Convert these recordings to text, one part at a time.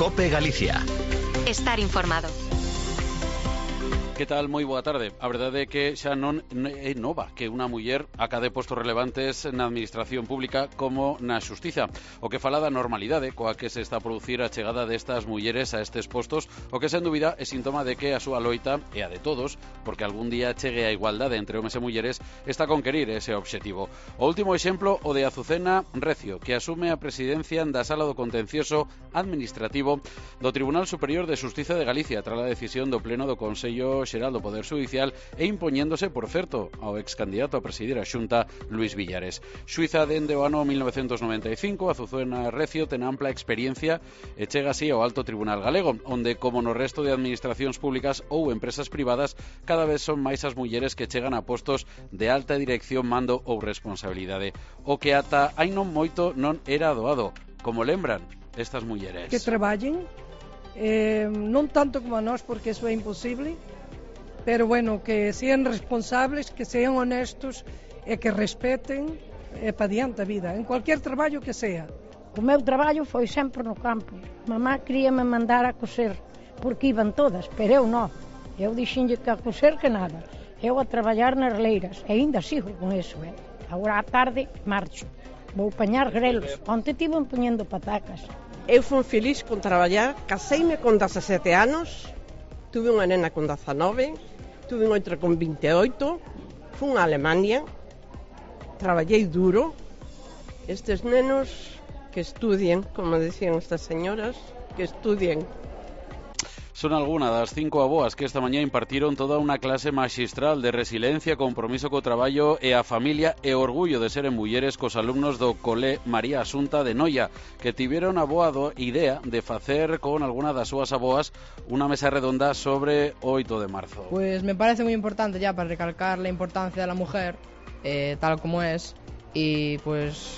COPE Galicia. Estar informado. Que tal? Moi boa tarde. A verdade é que xa non é nova que unha muller acade postos relevantes na administración pública como na xustiza. O que fala da normalidade coa que se está a producir a chegada destas mulleres a estes postos, o que sen dúbida é síntoma de que a súa loita é a de todos, porque algún día chegue a igualdade entre homes e mulleres, está a conquerir ese obxectivo. O último exemplo, o de Azucena Recio, que asume a presidencia da Sala do Contencioso Administrativo do Tribunal Superior de Xustiza de Galicia, tras a decisión do Pleno do Consello Xeral do Poder Judicial e impoñéndose, por certo, ao excandidato a presidir a Xunta, Luís Villares. Xuíza dende o ano 1995, Azucena Recio ten ampla experiencia e chega así ao Alto Tribunal Galego, onde, como no resto de administracións públicas ou empresas privadas, cada vez son máis as mulleres que chegan a postos de alta dirección, mando ou responsabilidade. O que ata hai non moito non era doado, como lembran estas mulleres. Que traballen, non tanto como a nós, porque eso é imposible, pero bueno, que sean responsables, que sean honestos e que respeten para diante a vida, en cualquier traballo que sea. O meu traballo foi sempre no campo. Mamá queríame mandar a coser, porque iban todas, pero eu non. Eu dixenlle que a coser que nada. Eu a traballar nas leiras, e ainda sigo con eso, Agora á tarde marcho. Vou pañar grelos. Onte tiven poñendo patacas. Eu fui feliz con traballar, caseime con 17 anos, tuve unha nena con 19, tuve outra con 28, fui a Alemania, traballei duro. Estes nenos que estudien, como decían estas señoras, que estudien. Son algunas das 5 avoas que esta mañá impartiron toda unha clase maxistral de resiliencia, compromiso co traballo e a familia e orgullo de seren mulleres cos alumnos do Cole María Asunta de Noia, que tiveron a boa idea de facer con alguna das súas avoas unha mesa redonda sobre o 8 de marzo. Pues me parece muy importante ya para recalcar la importancia de la mujer, tal como es, y pues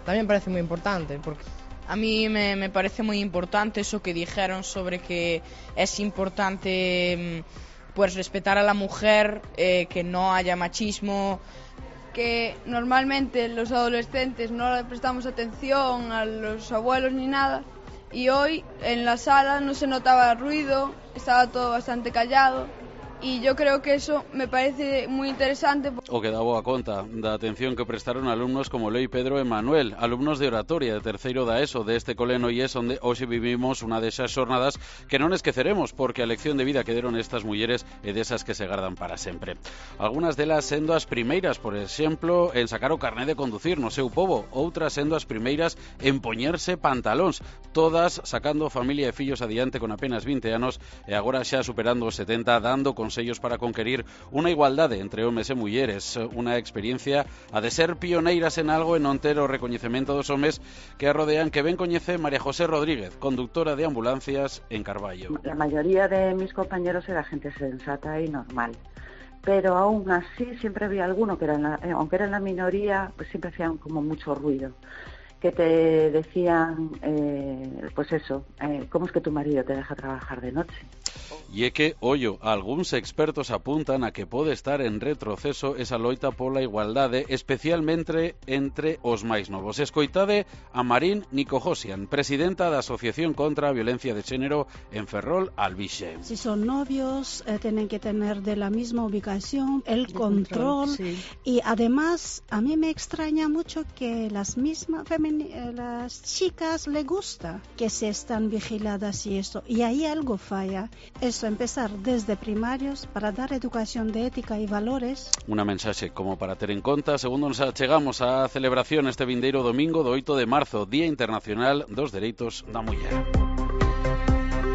también parece muy importante porque a mí me parece muy importante eso que dijeron sobre que es importante pues respetar a la mujer, que no haya machismo, que normalmente los adolescentes no le prestamos atención a los abuelos ni nada, y hoy en la sala no se notaba ruido, estaba todo bastante callado. E yo creo que eso me parece moi interesante. O que dá boa conta da atención que prestaron alumnos como Lei, Pedro e Manuel, alumnos de oratoria de terceiro da ESO deste cole Noies, onde hoxe vivimos unha desas xornadas que non esqueceremos, porque a lección de vida que deron estas mulleres é desas que se gardan para sempre. Algunas delas sendo as primeiras, por exemplo, en sacar o carné de conducir no seu pobo, outras sendo as primeiras en poñerse pantalóns, todas sacando familia e fillos adiante con apenas 20 anos e agora xa superando os 70, dando consellos para conquerir unha igualdade entre homes e mulleres, unha experiencia a de ser pioneiras en algo e non ter o recoñecemento dos homes que a rodean, que ben coñece María José Rodríguez, conductora de ambulancias en Carballo. La mayoría de mis compañeros era gente sensata y normal, pero aún así siempre había alguno que aunque era en la minoría, pues siempre hacían como mucho ruido, que te decían, pues eso, ¿cómo es que tu marido te deja trabajar de noche? E é que, ollo, algúns expertos apuntan a que pode estar en retroceso esa loita pola igualdade, especialmente entre os máis novos. Escoitade a Marín Nicojosian, presidenta da Asociación contra a Violencia de Xénero en Ferrol, Albixe. Si son novios, tienen que tener de la misma ubicación el control, sí. Y además, a mí me extraña mucho que las chicas le gusta que se están vigiladas y esto, y ahí algo falla. Eso, empezar desde primarios para dar educación de ética y valores. Una mensaxe como para ter en conta, segundo nos achegamos á celebración este vindeiro domingo do 8 de marzo, Día Internacional dos Dereitos da Muller.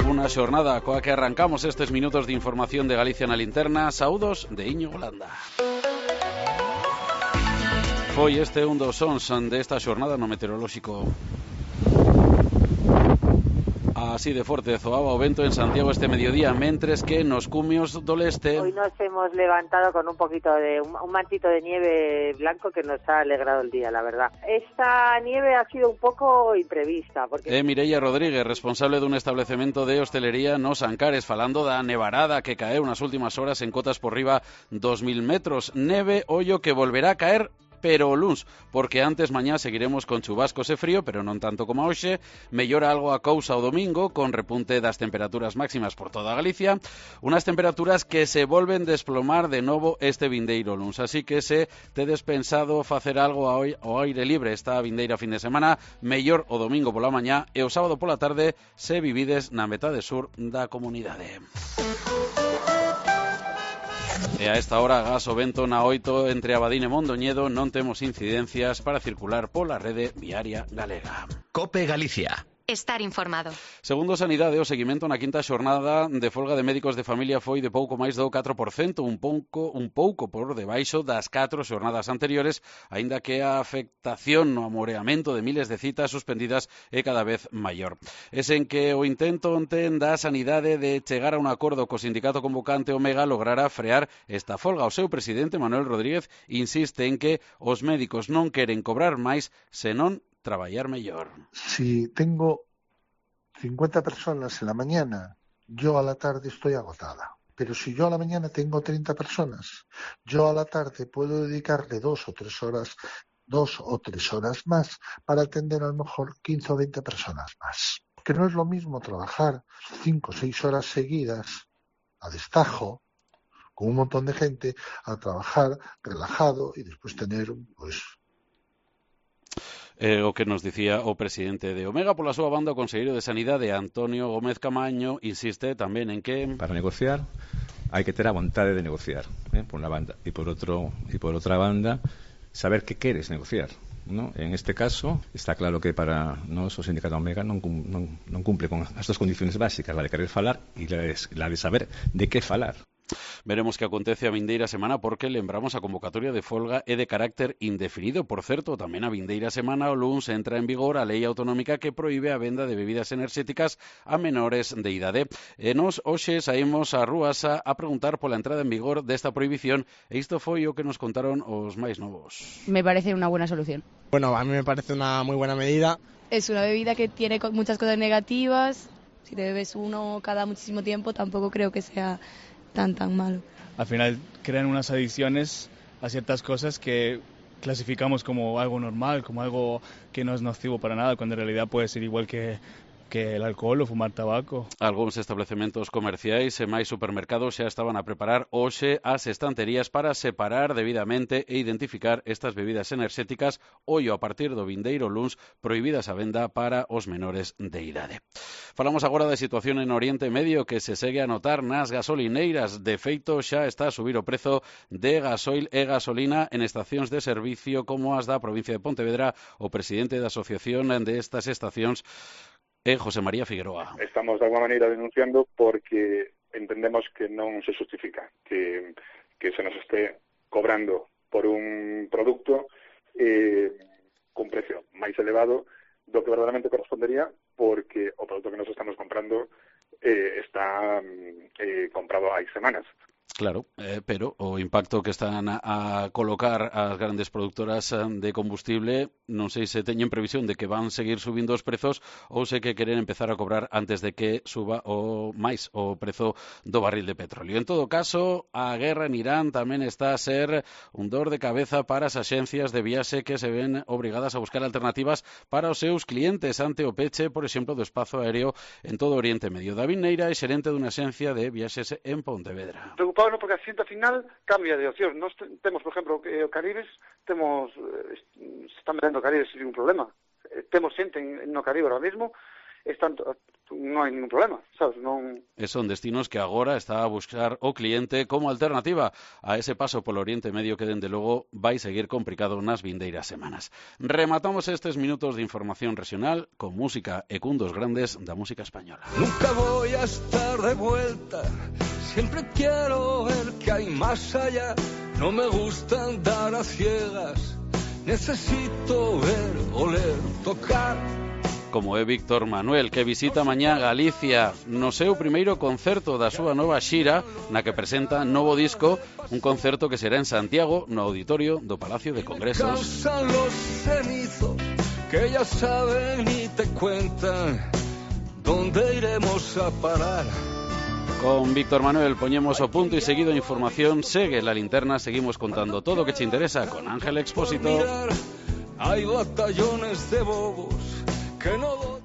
Unha xornada coa que arrancamos estes minutos de información de Galicia na linterna. Saúdos de Íñigo Landa. Foi este un dos sons desta xornada no meteorolóxico. Así de forte zoaba o vento en Santiago este mediodía, mentres que nos cumios do leste... Hoy nos hemos levantado con un poquito de un mantito de nieve blanco que nos ha alegrado el día, la verdad. Esta nieve ha sido un poco imprevista. Porque... Mireia Rodríguez, responsable dun establecemento de hostelería nos Ancares, falando da nevarada que caeu nas últimas horas en cotas por riba 2000 metros. Neve, ollo, que volverá a caer pero o luns, porque antes mañá seguiremos con chubascos e frío, pero non tanto como hoxe. Mellora algo a cousa o domingo, con repunte das temperaturas máximas por toda Galicia, unas temperaturas que se volven desplomar de novo este vindeiro luns, así que se tedes pensado facer algo ao aire libre esta vindeira fin de semana, mellor o domingo pola mañá e o sábado pola tarde se vivides na metade sur da comunidade. E a esta hora, gas o vento na 8 entre Abadín e Mondoñedo, non temos incidencias para circular pola rede viaria galega. COPE Galicia. Estar informado. Segundo Sanidade, o seguimento na quinta xornada de folga de médicos de familia foi de pouco máis do 4%, un pouco por debaixo das 4 xornadas anteriores, aínda que a afectación no amoreamento de miles de citas suspendidas é cada vez maior. É sen que o intento onte da Sanidade de chegar a un acordo co sindicato convocante Omega logrará frear esta folga. O seu presidente, Manuel Rodríguez, insiste en que os médicos non queren cobrar máis, senón traballar mellor. Si tengo 50 personas en la mañana, yo a la tarde estoy agotada. Pero si yo a la mañana tengo 30 personas, yo a la tarde puedo dedicarle 2 o 3 horas más para atender a lo mejor 15 o 20 personas más. Que no es lo mismo trabajar 5 o 6 horas seguidas a destajo con un montón de gente a trabajar relajado y después tener o que nos dicía o presidente de Omega. Pola súa banda, o conselleiro de Sanidade, Antonio Gómez Camaño, insiste tamén en que para negociar hai que ter a vontade de negociar, por unha banda, e por outra banda saber que queres negociar, ¿no? En este caso está claro que para nós o sindicato Omega non cumple con as dos condiciones básicas, la de querer falar e la de saber de que falar. Veremos que acontece a vindeira semana, porque lembramos a convocatoria de folga é de carácter indefinido. Por certo, tamén a vindeira semana o luns entra en vigor a lei autonómica que proíbe a venda de bebidas enerxéticas a menores de idade. E nos hoxe saímos ás rúas a preguntar pola entrada en vigor desta prohibición, e isto foi o que nos contaron os máis novos. Me parece una buena solución. Bueno, a mí me parece una muy buena medida. Es una bebida que tiene muchas cosas negativas. Si te bebes uno cada muchísimo tiempo, tampoco creo que sea tan malo. Al final crean unas adicciones a ciertas cosas que clasificamos como algo normal, como algo que no es nocivo para nada, cuando en realidad puede ser igual que el alcohol o fumar tabaco. Algúns establecementos comerciais e máis supermercados xa estaban a preparar hoxe as estanterías para separar debidamente e identificar estas bebidas enerxéticas, ollo a partir do vindeiro luns, prohibidas a venda para os menores de idade. Falamos agora da situación en Oriente Medio, que se segue a notar nas gasolineiras. De feito, xa está a subir o prezo de gasoil e gasolina en estacións de servicio como as da provincia de Pontevedra. O presidente da asociación de estas estacións José María Figueroa. Estamos de alguna maneira denunciando porque entendemos que non se justifica que se nos este cobrando por un produto con precio máis elevado do que verdadeiramente correspondería, porque o produto que nos estamos comprando está comprado hai semanas. Claro, pero o impacto que están a colocar as grandes produtoras de combustible, non sei se teñen previsión de que van seguir subindo os prezos ou se que queren empezar a cobrar antes de que suba o máis o prezo do barril de petróleo. En todo caso, a guerra en Irán tamén está a ser un dor de cabeza para as axencias de viaxe que se ven obrigadas a buscar alternativas para os seus clientes ante o peche, por exemplo, do espazo aéreo en todo o Oriente Medio. David Neira é xerente dunha axencia de viaxes en Pontevedra. Preocupado porque a xente final cambia de opción. Nós temos, por exemplo, o Caribes, se están vendendo Caribes sin ningún problema. Temos xente no Caribe ahora mismo, non hai ningún problema, sabes? Son destinos que agora está a buscar o cliente como alternativa a ese paso polo Oriente Medio que, dende logo, vai seguir complicado nas vindeiras semanas. Rematamos estes minutos de información regional con música e cun dos grandes da música española. Nunca voy a estar de vuelta, siempre quiero ver que hay más allá, no me gusta andar a ciegas, necesito ver, oler, tocar. Como é Víctor Manuel, que visita mañá Galicia no seu primeiro concerto da súa nova xira, na que presenta novo disco, un concerto que será en Santiago, no auditorio do Palacio de Congresos. Cansan los cenizos, que ya saben y te cuentan dónde iremos a parar. Con Víctor Manuel poñemos o punto e seguido a información segue la linterna, seguimos contando todo o que te interesa con Ángel Expósito. Hay batallones de bobos que no